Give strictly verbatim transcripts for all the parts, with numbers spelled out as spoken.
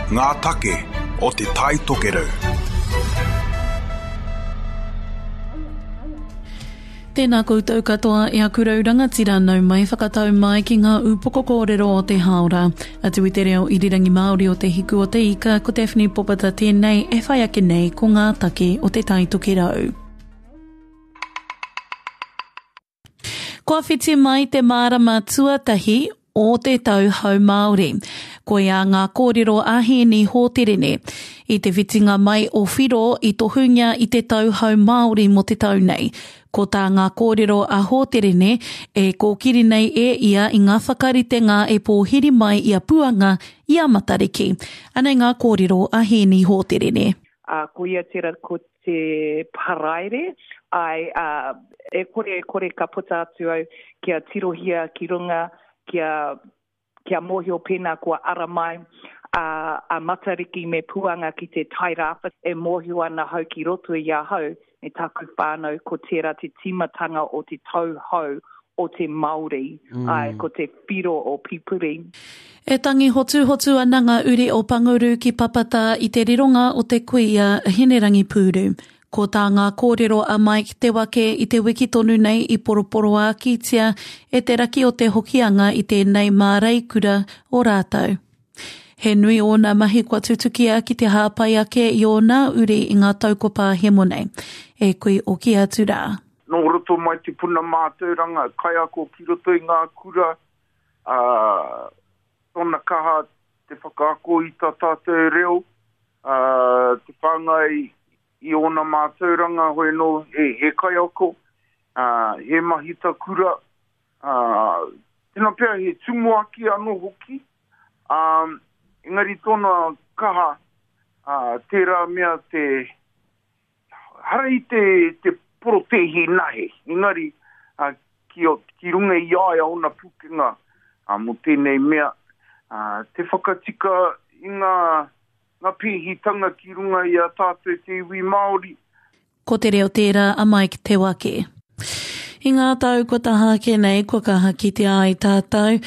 Ngā take o Te Tai Tokerau. Tēnā koutou katoa e aku rau rangatira nau mai whakatau mai ki ngā ūpoko kōrero o te hāora. Atu i te reo irirangi Māori o Te Hiku o Te Ika, ko Daphne Popata tēnei e whai ake nei ko ngā take o Te Tai Tokerau. Kua whiti mai te marama tuatahi o te tau hou Māori. Koia ngā kōrero a Hēni Hōterene. I te whitinga mai o Whiro i tohungia i te tau hou Māori mō te tau nei. Ko tā ngā kōrero a Hōterene e kōkiri nei e ia i ngā whakaritenga e pōhiri mai i a Puanga i a Matariki. Anei ngā kōrero a Hēni Hōterene. Uh, ko ia tera ko te Paraire, ai, uh, e kore e kore ka puta atu au kia tirohia ki runga, kia, kia mōhio pēnā kua ara mai a, a Matariki me Puanga ki te Tairāwhiti e mōhio ana hau ki roto i ahau me taku whānau ko tērā te tīmatanga o te tau hou o te Māori, mm. ai, ko te whiro o Pipiri. E tangi hotuhotu ana ngā uri o Panguru ki Papata i te rironga o te kuia Hinerangi Pūru. Ko tā ngā kōrero a Mike Te Wake i te wiki tonu nei i poroporoākitia e te raki o te Hokianga i tēnei māreikura o rātou. He nui ōna mahi kua tutukia ki te hāpai ake i ōna uri i ngā tau ko pāhemo nei. E kui oki atu rā. Nō roto mai te puna mātauranga, kaiako ki roto i ngā kura, ā, tōna kaha te whakaako i tā tātou reo, ā, te whāngai i ōna mātauranga, hoi anō he, he kaiako, ā, he mahita kura, ā, tēnā pea he tumuaki anō hoki, ā, engari tōna kaha, ā, tērā mea te, hara i te, te porotēhi nahe, engari uh, ki, ki runga i a ia ōna pūkenga uh, mō tēnei mea, uh, te whakatika i ngā, ngā pēhitanga ki runga i a tātou te iwi Māori. Ko te reo tērā a Mike Te Wake. I ngā tau kua taha ake nei, kua kaha kitea ai tātou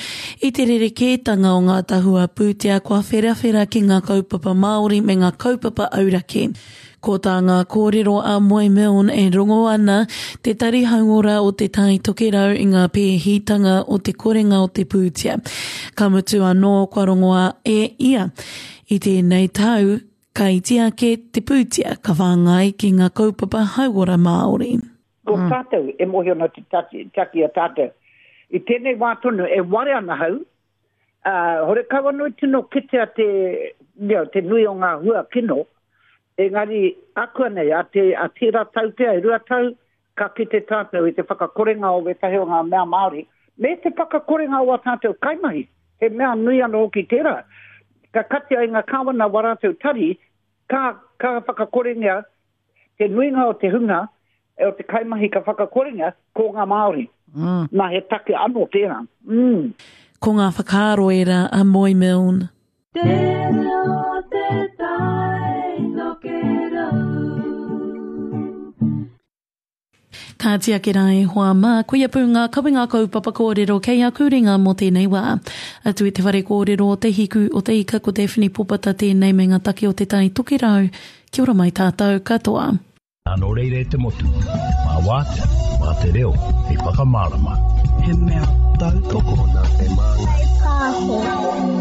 i te rerekētanga o ngā tahua pūtea kua wherawhera ki ngā kaupapa Māori me ngā kaupapa auraki. Ko tā ngā kōrero a Moe Milne e rongo ana te Tari Hauora o Te Tai Tokerau i ngā pēhitanga o te korenga o te pūtea. Ka mutu anō kua rongoa e ia. I tēnei tau, ka iti ake te pūtea ka whāngai ki ngā kaupapa hauora Māori. Ko tātou e mōhio ana te taki, taki a tātou. I tēnei wā tonu e ware ana hau, uh, horekau anō i tino kitea te, you know, te nui o ngā hua kino, engari akuanei, a, te, a tērā tau pea, e rua tau, ka kite tātou i te whakakorenga o wētahi o ngā mea Māori, me te whakakorenga o a tātou kaimahi, he mea nui anō hoki tērā. Ka katia i ngā kāwana wā rātou tari, ka, ka whakakorengia te nuinga o te hunga, e o te kaimahi ka whakakorengia, ko ngā Māori. Mm. Nā he take anō tērā. Mm. Ko ngā whakaaro ērā a Moe Milne. Te reo te tai tokerau. Kāti ake rā e hoa mā, koia pū ngā kawenga kaupapa kōrero kei aku ringa mō tēnei wā. Atu i te whare kōrero o Te Hiku o Te Ika ko Daphne Popata tēnei me ngā take o Te Tai Tokerau. Kia ora mai tātou katoa. Nō reira e te motu, mā wātea, mā te reo, hei whakamārama. He mea tautoko. Nā te māngai. Pāho.